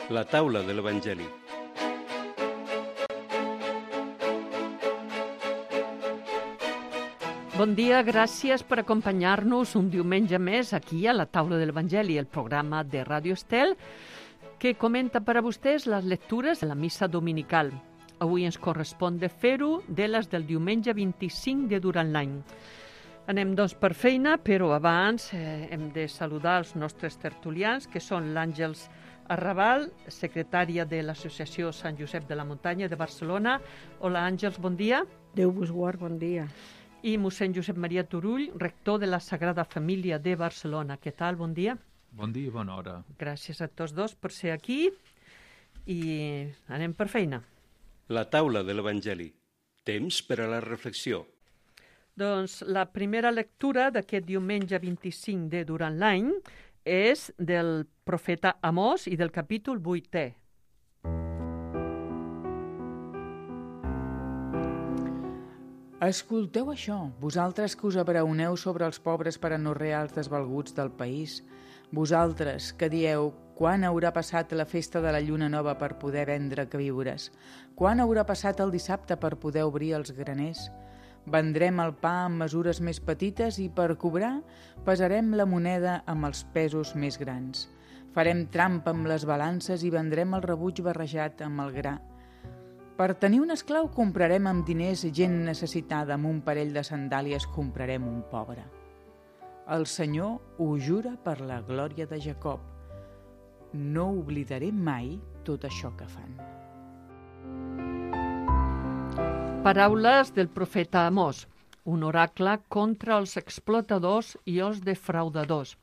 La taula de l'Evangeli. Bon dia, gràcies per acompanyar-nos un diumenge més aquí a la taula de l'Evangeli, el programa de Ràdio Estel, que comenta per a vostès les lectures de la missa dominical. Avui ens correspon de fer-ho de les del diumenge 25 de durant l'any. Anem doncs per feina, però abans hem de saludar els nostres tertulians, que són l'Àngels Arrabal, secretària de l'Associació Sant Josep de la Muntanya de Barcelona. Hola, Àngels, bon dia. Déu vos guard, bon dia. I mossèn Josep Maria Turull, rector de la Sagrada Família de Barcelona. Què tal? Bon dia. Bon dia i bona hora. Gràcies a tots dos per ser aquí i anem per feina. La taula de l'Evangeli. Temps per a la reflexió. Doncs la primera lectura d'aquest diumenge 25 de durant l'any és del profeta Amós i del capítol 8è. Escolteu això, vosaltres que us abraoneu sobre els pobres per a no reals desvalguts del país, vosaltres que dieu quan haurà passat la festa de la lluna nova per poder vendre queviures, quan haurà passat el dissabte per poder obrir els graners, vendrem el pa amb mesures més petites i per cobrar pesarem la moneda amb els pesos més grans. Farem trampa amb les balances i vendrem el rebuig barrejat amb el gra. Per tenir un esclau comprarem amb diners gent necessitada, amb un parell de sandàlies comprarem un pobre. El Senyor ho jura per la glòria de Jacob. No oblidaré mai tot això que fan. Paraules del profeta Amós, un oracle contra els explotadors i els defraudadors.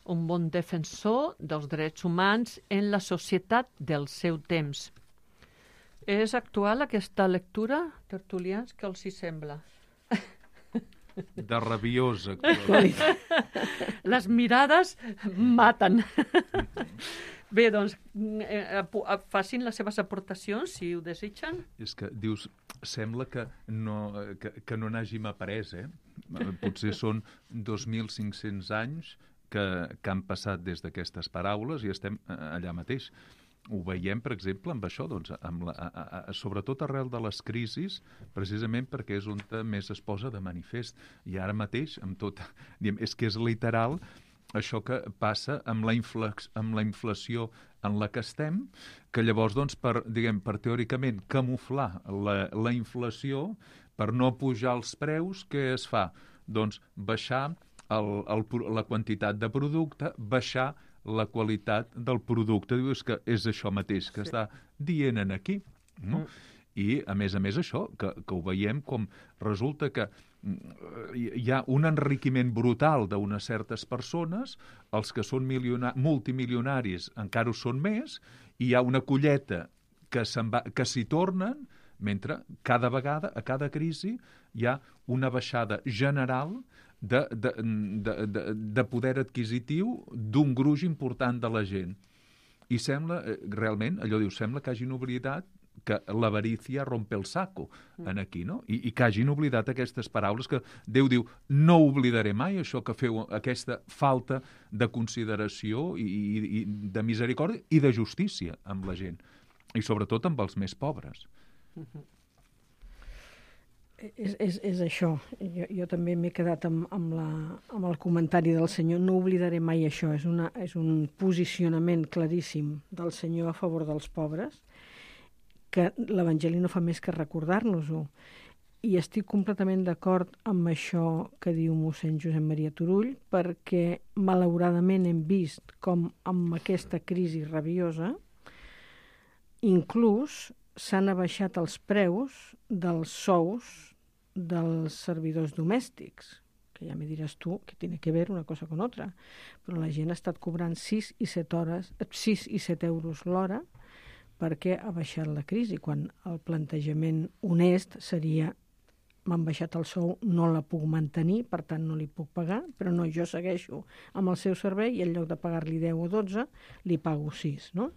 Un bon defensor dels drets humans en la societat del seu temps. És actual aquesta lectura, tertulians? Què els hi sembla? De rabiosa actualitat. Les mirades maten. Bé, doncs, facin les seves aportacions, si ho desitgen. És que dius, sembla que no n'hàgim après, Potser són 2.500 anys que han passat des d'aquestes paraules i estem allà mateix. Ho veiem, per exemple, amb això, doncs, sobretot arrel de les crisis, precisament perquè és on més es posa de manifest. I ara mateix, amb tot, és que és literal això que passa amb la inflació en la que estem, que llavors, doncs, per teòricament camuflar la inflació, per no pujar els preus, què es fa? Doncs baixar la quantitat de producte, baixar la qualitat del producte. Dius que és això mateix que està dient aquí. No? I, a més, això, que ho veiem com resulta que hi ha un enriquiment brutal d'unes certes persones, els que són multimilionaris encara ho són més, i hi ha una colleta que s'hi tornen, mentre cada vegada, a cada crisi, hi ha una baixada general de poder adquisitiu d'un gruix important de la gent. I sembla, realment, sembla que hagin oblidat que l'avarícia rompe el saco aquí, no? I que hagin oblidat aquestes paraules que Déu diu, no oblidaré mai això que feu, aquesta falta de consideració i de misericòrdia i de justícia amb la gent, i sobretot amb els més pobres. És això. Jo també m'he quedat amb el comentari del Senyor. No oblidaré mai això. És un posicionament claríssim del Senyor a favor dels pobres, que l'Evangeli no fa més que recordar-nos-ho. I estic completament d'acord amb això que diu mossèn Josep Maria Turull, perquè malauradament hem vist com amb aquesta crisi rabiosa inclús s'han abaixat els preus dels sous dels servidors domèstics, que ja me diràs tu que tiene que ver una cosa con otra, però la gent ha estat cobrant 6 i 7 euros l'hora perquè ha baixat la crisi, quan el plantejament honest seria m'han baixat el sou, no la puc mantenir, per tant no li puc pagar, però no, jo segueixo amb el seu servei i en lloc de pagar-li 10 o 12, li pago 6, no?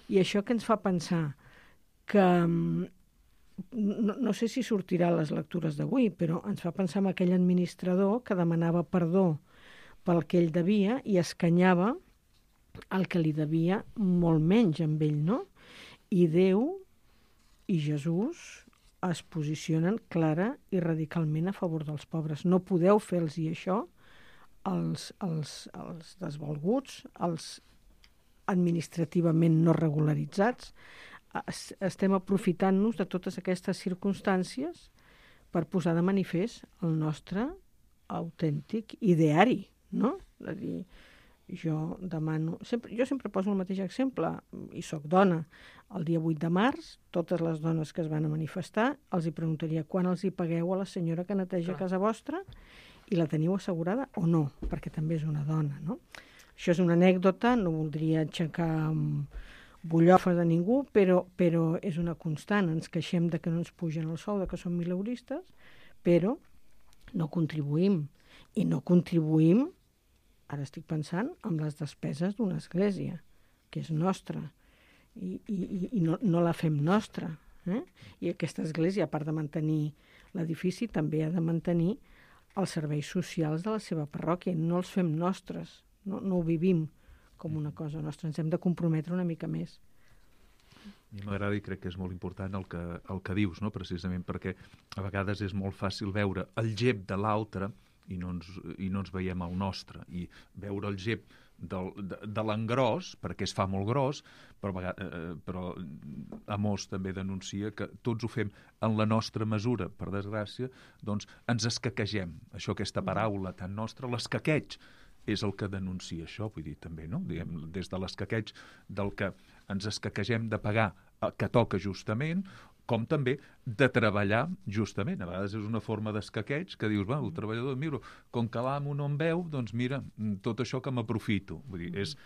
I això que ens fa pensar que, no sé si sortirà a les lectures d'avui, però ens fa pensar en aquell administrador que demanava perdó pel que ell devia i escanyava el que li devia molt menys amb ell, no? I Déu i Jesús es posicionen clara i radicalment a favor dels pobres. No podeu fer-los això als desvalguts, als administrativament no regularitzats. Estem aprofitant-nos de totes aquestes circumstàncies per posar de manifest el nostre autèntic ideari, no? És a dir, jo sempre poso el mateix exemple, i sóc dona. El dia 8 de març, totes les dones que es van a manifestar, els hi preguntaria quan els hi pagueu a la senyora que neteja casa vostra i la teniu assegurada o no, perquè també és una dona, no? Això és una anècdota, no voldria aixecar bullofes a ningú, però és una constant. Ens queixem de que no ens pugen el sou, de que som mileuristes, però no contribuïm. I no contribuïm, ara estic pensant, amb les despeses d'una església, que és nostra, i no la fem nostra. I aquesta església, a part de mantenir l'edifici, també ha de mantenir els serveis socials de la seva parròquia. No els fem nostres, no ho vivim com una cosa nostra, ens hem de comprometre una mica més. A mi m'agrada i crec que és molt important el que dius, no? Precisament perquè a vegades és molt fàcil veure el gep de l'altre i no ens veiem el nostre, i veure el gep de l'engròs, perquè es fa molt gros, però Amós també denuncia que tots ho fem en la nostra mesura, per desgràcia, doncs ens escaquegem. Això, aquesta paraula tan nostra, l'escaqueig, és el que denuncia això, vull dir, també, no? Diguem, des de l'escaqueig del que ens escaquegem de pagar el que toca justament, com també de treballar justament. A vegades és una forma d'escaqueig que dius, el treballador, mira, com que l'amo no em veu, doncs mira, tot això que m'aprofito. Vull dir, és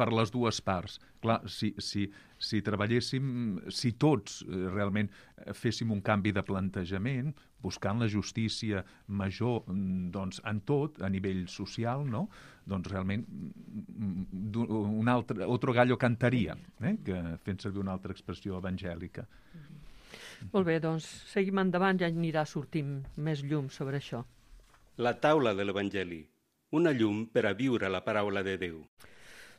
per les dues parts. Clar, si treballéssim, si tots realment féssim un canvi de plantejament, buscant la justícia major, doncs, en tot, a nivell social, no? Doncs realment otro gallo cantaria, que fent servir una altra expressió evangèlica. Molt bé, doncs seguim endavant, ja anirà sortint més llum sobre això. La taula de l'Evangeli, una llum per a viure la paraula de Déu.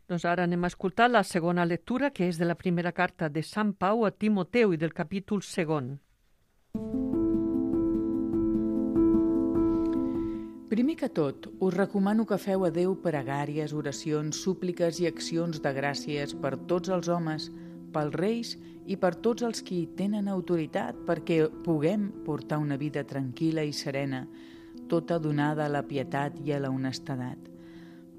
Doncs ara anem a escoltar la segona lectura, que és de la primera carta de Sant Pau a Timoteu i del capítol 2. Primer que tot, us recomano que feu a Déu pregàries, oracions, súpliques i accions de gràcies per tots els homes, pels reis i per tots els qui tenen autoritat, perquè puguem portar una vida tranquil·la i serena, tota donada a la pietat i a la honestedat.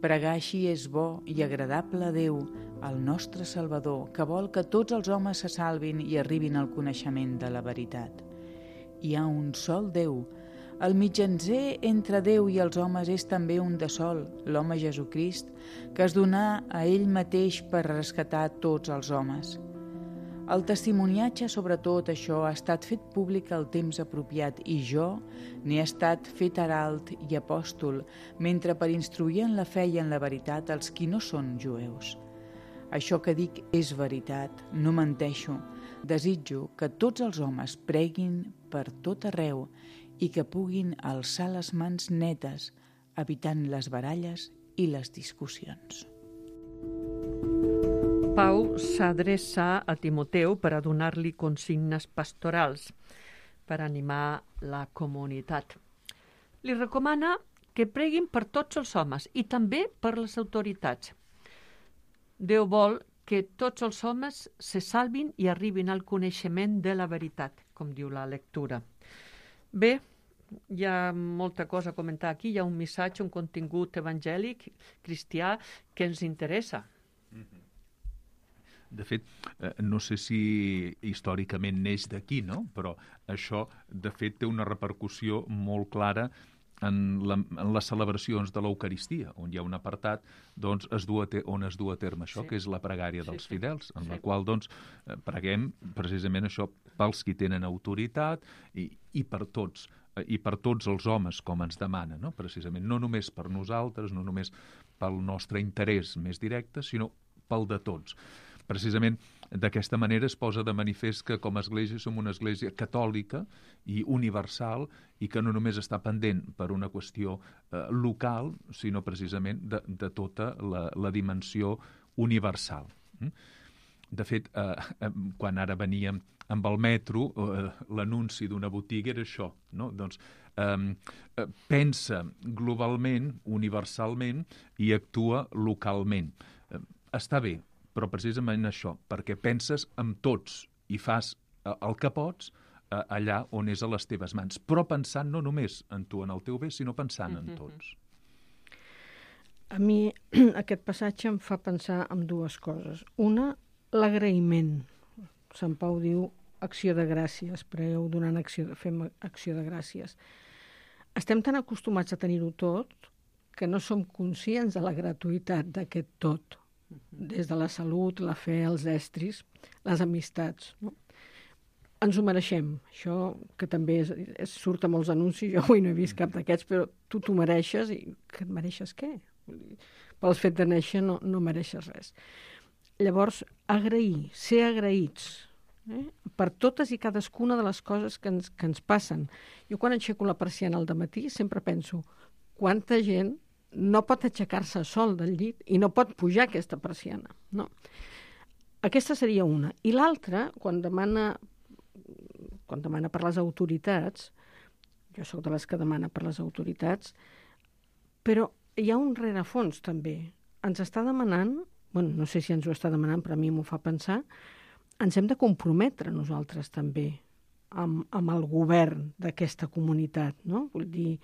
Pregar així és bo i agradable a Déu, el nostre Salvador, que vol que tots els homes se salvin i arribin al coneixement de la veritat. Hi ha un sol Déu. El mitjancer entre Déu i els homes és també un de sol, l'home Jesucrist, que es donà a ell mateix per rescatar tots els homes. El testimoniatge sobre tot això ha estat fet públic al temps apropiat i jo n'he estat fet herald i apòstol, mentre per instruir en la fe i en la veritat els qui no són jueus. Això que dic és veritat, no menteixo. Desitjo que tots els homes preguin per tot arreu i que puguin alçar les mans netes, evitant les baralles i les discussions. Pau s'adreça a Timoteu per a donar-li consignes pastorals, per animar la comunitat. Li recomana que preguin per tots els homes i també per les autoritats. Déu vol que tots els homes se salvin i arribin al coneixement de la veritat, com diu la lectura. Bé, hi ha molta cosa a comentar aquí, hi ha un missatge, un contingut evangèlic, cristià, que ens interessa. De fet, no sé si històricament neix d'aquí, no? Però això, de fet, té una repercussió molt clara en les celebracions de l'Eucaristia, on hi ha un apartat doncs, on es du a terme això, que és la pregària dels fidels, en la qual doncs, preguem precisament això pels qui tenen autoritat i per tots els homes, com ens demana, no? Precisament, no només per nosaltres, no només pel nostre interès més directe, sinó pel de tots. Precisament d'aquesta manera es posa de manifest que com a església som una església catòlica i universal i que no només està pendent per una qüestió local, sinó precisament de tota la dimensió universal. De fet, quan ara veníem amb el metro, l'anunci d'una botiga era això, no? Doncs pensa globalment, universalment, i actua localment. Està bé, però precisament això, perquè penses amb tots i fas el que pots allà on és a les teves mans, però pensant no només en tu, en el teu bé, sinó pensant en tots. A mi aquest passatge em fa pensar en dues coses. Una, l'agraïment. Sant Pau diu acció de gràcies, pregueu donant fem acció de gràcies. Estem tan acostumats a tenir-ho tot que no som conscients de la gratuïtat d'aquest tot, des de la salut, la fe, els estris, les amistats, no? Ens ho mereixem. Això, que també surt a molts anuncis, jo avui no he vist cap d'aquests, però tu t'ho mereixes, i que et mereixes què? Pel fet de néixer no mereixes res. Llavors, agrair, ser agraïts, per totes i cadascuna de les coses que ens passen. Jo quan aixeco la persiana al dematí sempre penso quanta gent no pot aixecar-se sol del llit i no pot pujar aquesta persiana. No. Aquesta seria una. I l'altra, quan demana per les autoritats, jo sóc de les que demana per les autoritats, però hi ha un rerefons també. Ens està demanant, no sé si ens ho està demanant, però a mi m'ho fa pensar, ens hem de comprometre nosaltres també amb el govern d'aquesta comunitat, no? Vull dir,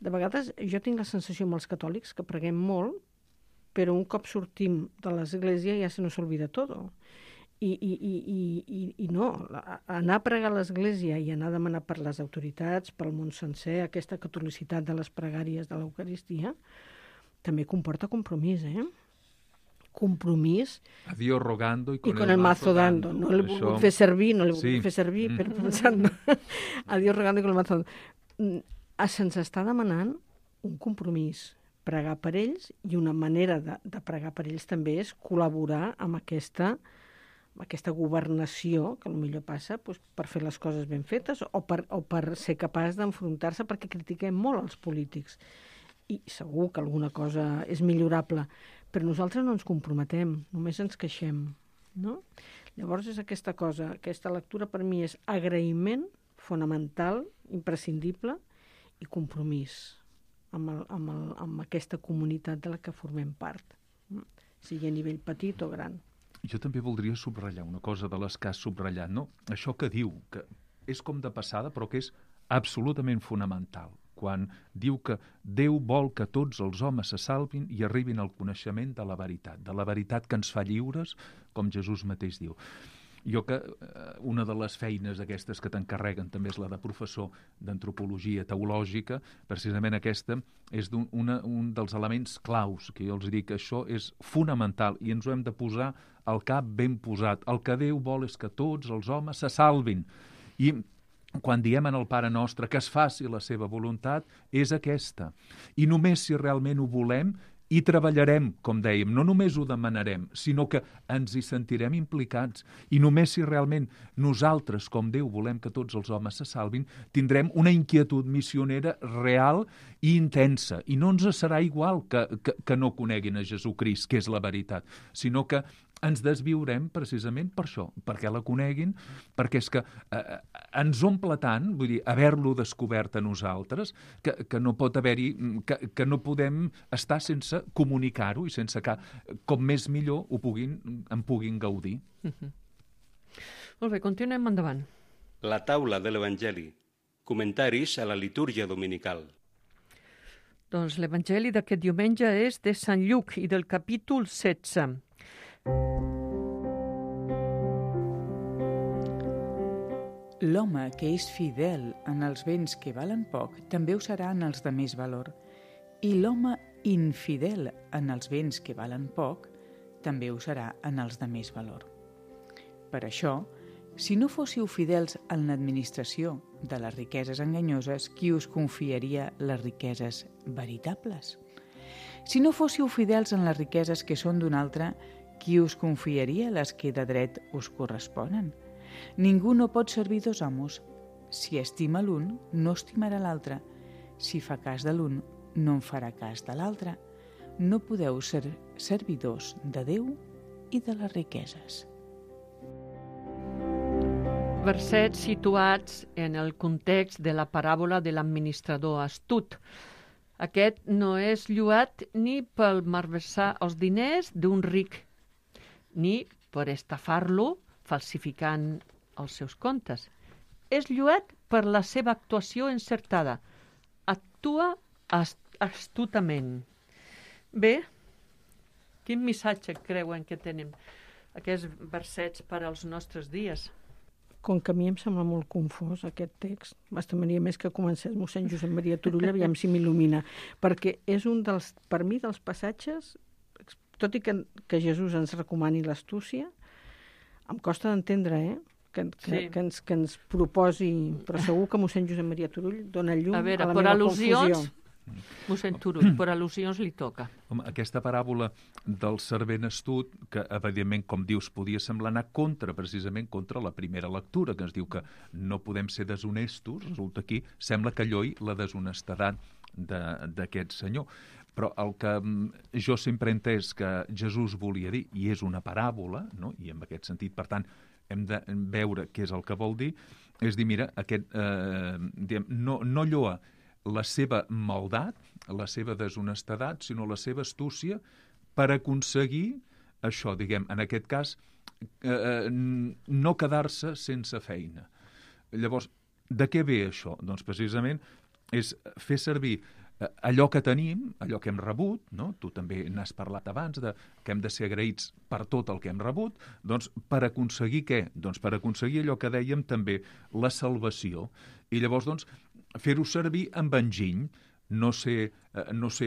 de vegades jo tinc la sensació amb els catòlics que preguem molt, però un cop sortim de l'església ja se nos olvida tot. I no, anar a pregar a l'església i anar a demanar per les autoritats, pel món sencer, aquesta catolicitat de les pregàries de l'Eucaristia, també comporta compromís, compromís. A Dios rogando y con el mazo dando. No l'he volgut fer servir, però pensant, a Dios rogando y con el mazo dando. Se'ns està demanant un compromís, pregar per ells, i una manera de pregar per ells també és col·laborar amb aquesta governació, que potser passa per fer les coses ben fetes o per ser capaç d'enfrontar-se, perquè critiquem molt els polítics. I segur que alguna cosa és millorable, però nosaltres no ens comprometem, només ens queixem, no? Llavors és aquesta cosa, aquesta lectura per mi és agraïment fonamental, imprescindible, i compromís amb aquesta comunitat de la que formem part, sigui a nivell petit o gran. Jo també voldria subratllar una cosa de les que has subratllat, no? Això que diu, que és com de passada, però que és absolutament fonamental, quan diu que Déu vol que tots els homes se salvin i arribin al coneixement de la veritat que ens fa lliures, com Jesús mateix diu. Jo que una de les feines aquestes que t'encarreguen també és la de professor d'antropologia teològica, precisament aquesta és un dels elements claus, que jo els dic que això és fonamental i ens ho hem de posar al cap ben posat. El que Déu vol és que tots els homes se salvin. I quan diem en el Pare Nostre que es faci la seva voluntat, és aquesta. I només si realment ho volem i treballarem, com dèiem, no només ho demanarem, sinó que ens hi sentirem implicats. I només si realment nosaltres, com Déu, volem que tots els homes se salvin, tindrem una inquietud missionera real i intensa. I no ens serà igual que no coneguin a Jesucrist, que és la veritat, sinó que ens desviurem precisament per això, perquè la coneguin, perquè és que ens omple tant, vull dir, haver-lo descobert a nosaltres, que no pot haver-hi, que no podem estar sense comunicar-ho i sense que, com més millor, en puguin gaudir. Molt bé, continuem endavant. La taula de l'Evangeli. Comentaris a la litúrgia dominical. Doncs l'Evangeli d'aquest diumenge és de Sant Lluc i del capítol 16. L'home que és fidel en els béns que valen poc també ho serà en els de més valor, i l'home infidel en els béns que valen poc també ho serà en els de més valor. Per això, si no fóssiu fidels en l'administració de les riqueses enganyoses, qui us confiaria les riqueses veritables? Si no fóssiu fidels en les riqueses que són d'un altre, qui us confiaria les que de dret us corresponen? Ningú no pot servir dos amos. Si estima l'un, no estimarà l'altre. Si fa cas de l'un, no en farà cas de l'altre. no podeu ser servidors de Déu i de les riqueses. Versets situats en el context de la paràbola de l'administrador astut. Aquest no és lloat ni per malversar els diners d'un ric, ni per estafar-lo falsificant els seus comptes. És lloat per la seva actuació encertada. Actua astutament. Bé, quin missatge creuen que tenim aquests versets per als nostres dies? Com que a mi em sembla molt confós aquest text, m'estimaria més que comencés mossèn Josep Maria Turull, aviam si m'il·lumina, perquè és un dels, per mi, dels passatges, tot i que Jesús ens recomani l'astúcia, em costa d'entendre, que ens proposi, però segur que mossèn Josep Maria Turull dona llum a la meva confusió. Mossèn Turull, per al·lusions li toca. Home, aquesta paràbola del servent astut, que evidentment, com dius, podia semblar anar precisament contra la primera lectura, que ens diu que no podem ser deshonestos, resulta aquí, sembla que alloi la deshonestedat d'aquest senyor. Però el que jo sempre he entès que Jesús volia dir, i és una paràbola, no? I en aquest sentit, per tant, hem de veure què és el que vol dir, és dir, mira, no lloa la seva maldat, la seva deshonestedat, sinó la seva astúcia per aconseguir això, diguem, en aquest cas, no quedar-se sense feina. Llavors, de què ve això? Doncs precisament és fer servir allò que tenim, allò que hem rebut, no? Tu també n'has parlat abans, que hem de ser agraïts per tot el que hem rebut, doncs per aconseguir què? Doncs per aconseguir allò que dèiem també, la salvació. I llavors, doncs, fer-ho servir amb enginy, no ser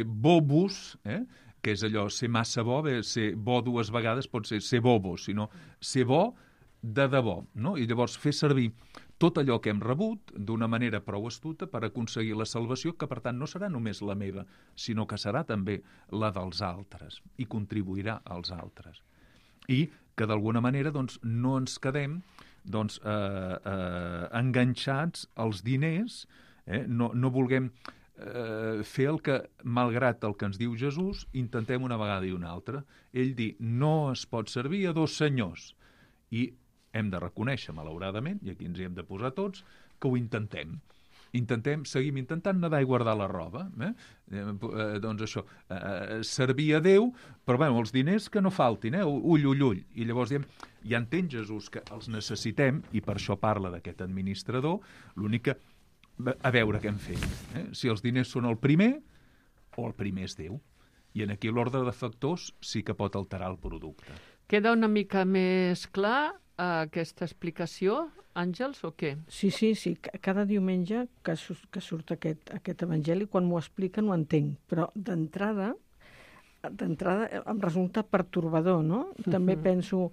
bobos, que és allò, ser massa bo, ser bo dues vegades pot ser bobo, sinó ser bo de debò, no? I llavors fer servir tot allò que hem rebut d'una manera prou astuta per aconseguir la salvació, que per tant no serà només la meva, sinó que serà també la dels altres i contribuirà als altres. I que d'alguna manera doncs, no ens quedem doncs, enganxats als diners, no vulguem fer el que, malgrat el que ens diu Jesús, intentem una vegada i una altra. Ell diu, no es pot servir a dos senyors. I hem de reconèixer, malauradament, i aquí ens hi hem de posar tots, que ho intentem. Seguim intentant nedar i guardar la roba. Doncs això, servir a Déu, però bé, els diners que no faltin, ull. I llavors diem, ja entén Jesús que els necessitem, i per això parla d'aquest administrador, l'únic que a veure què hem fet. Si els diners són el primer, o el primer és Déu. I en aquí l'ordre de factors sí que pot alterar el producte. Queda una mica més clar aquesta explicació, Àngels, o què? Sí. Cada diumenge que surt aquest evangeli, quan m'ho expliquen ho entenc, però d'entrada em resulta pertorbador, no? També penso...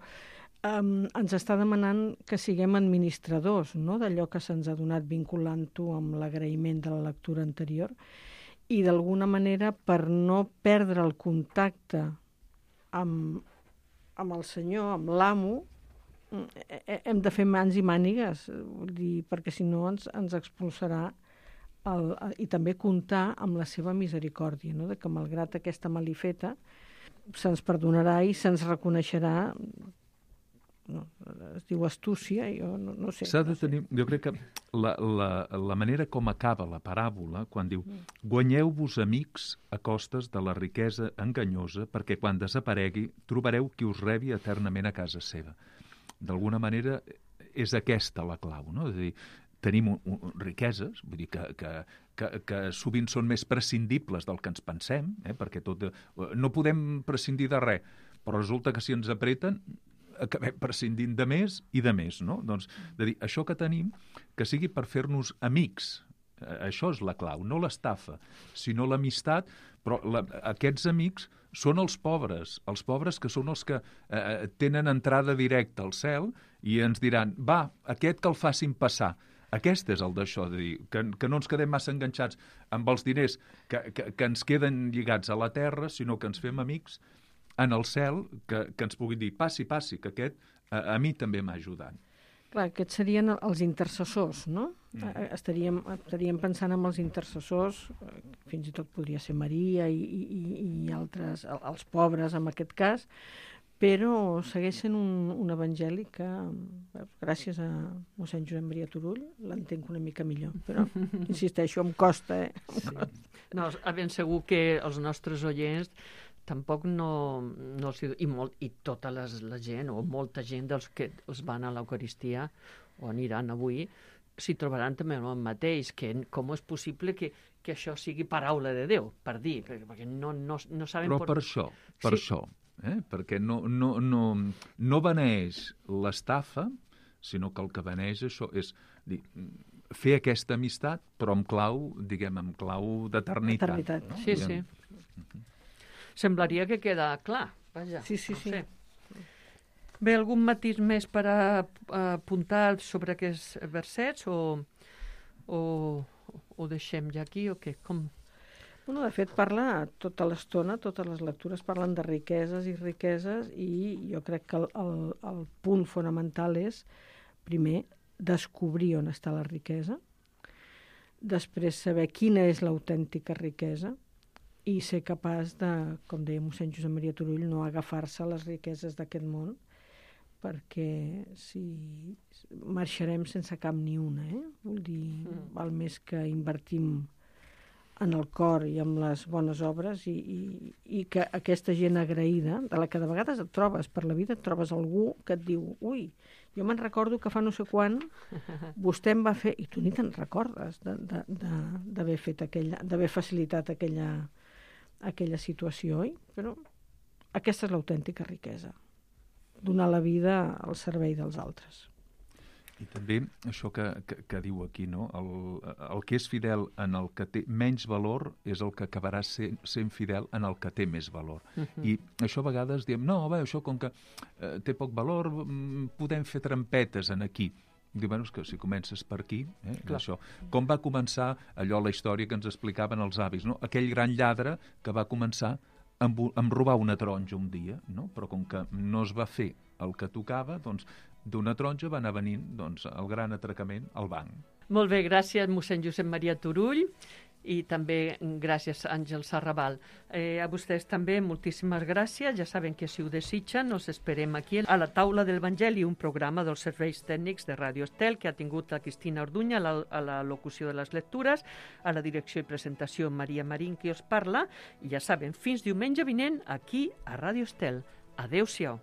ens està demanant que siguem administradors, no?, d'allò que se'ns ha donat, vinculant-ho amb l'agraïment de la lectura anterior, i d'alguna manera, per no perdre el contacte amb el senyor, amb l'amo, hem de fer mans i mànigues, vull dir, perquè si no ens expulsarà i també comptar amb la seva misericòrdia, no?, de que malgrat aquesta malifeta se'ns perdonarà i se'ns reconeixerà. No, es diu astúcia, jo no sé. S'ha de tenir, jo crec que la manera com acaba la paràbola, quan diu guanyeu-vos amics a costes de la riquesa enganyosa, perquè quan desaparegui trobareu qui us rebi eternament a casa seva. D'alguna manera és aquesta la clau, no? És a dir, tenim riqueses, vull dir que sovint són més prescindibles del que ens pensem, perquè no podem prescindir de res, però resulta que si ens apreten acabem prescindint de més i de més, no? Doncs, de dir, això que tenim, que sigui per fer-nos amics, això és la clau, no l'estafa, sinó l'amistat, però aquests amics són els pobres que són els que tenen entrada directa al cel i ens diran, va, aquest que el facin passar. Aquest és el d'això, de dir, que no ens quedem massa enganxats amb els diners que ens queden lligats a la terra, sinó que ens fem amics en el cel, que ens puguin dir, passi, que aquest a mi també m'ha ajudat. Clar, aquests serien els intercessors, no? Estaríem pensant en els intercessors, fins i tot podria ser Maria i altres, els pobres en aquest cas, però segueix sent un evangeli que, gràcies a mossèn Josep Maria Turull, l'entenc una mica millor. Però, insisteixo, em costa, Sí. No, ben segur que els nostres oients tampoc no i tota la gent, o molta gent dels que els van a l'Eucaristia o aniran avui, s'hi trobaran també el mateix, que com és possible que això sigui paraula de Déu, per dir, perquè no saben... Però per això, perquè no beneix l'estafa, sinó que el que beneix això és dir, fer aquesta amistat, però amb clau, diguem, amb clau d'eternitat. No? Sí, sí. Semblaria que queda clar, vaja. Sí. No sé. Bé, algun matís més per apuntar sobre aquests versets o deixem ja aquí o què? Com... Bueno, de fet, parla tota l'estona, totes les lectures parlen de riqueses i jo crec que el punt fonamental és, primer, descobrir on està la riquesa, després saber quina és l'autèntica riquesa i ser capaç de, com deia mossèn Josep Maria Turull, no agafar-se a les riqueses d'aquest món, perquè si marxarem sense cap ni una, Vull dir, val més que invertim en el cor i en les bones obres i que aquesta gent agraïda, de la que de vegades et trobes per la vida, et trobes algú que et diu, ui, jo me'n recordo que fa no sé quan vostè em va fer, i tu ni te'n recordes d'haver fet d'haver facilitat aquella situació, oi? Però aquesta és l'autèntica riquesa, donar la vida al servei dels altres. I també això que diu aquí, no? El que és fidel en el que té menys valor és el que acabarà sent fidel en el que té més valor. I això a vegades diem, no, bé, això com que té poc valor, podem fer trampetes en aquí. Diu, bueno, és que si comences per aquí, això. Com va començar allò, la història que ens explicaven els avis, no? Aquell gran lladre que va començar amb robar una taronja un dia, no? Però com que no es va fer el que tocava, doncs d'una taronja va anar venint el gran atracament al banc. Molt bé, gràcies mossèn Josep Maria Turull i també gràcies Àngel Sarrabal. A vostès també moltíssimes gràcies. Ja saben que si ho desitgen us esperem aquí a la taula del Evangeli, un programa dels serveis tècnics de Ràdio Estel que ha tingut la Cristina Orduña a la locució de les lectures, a la direcció i presentació Maria Marín qui us parla, i ja saben, fins diumenge vinent aquí a Ràdio Estel. Adéu-siau.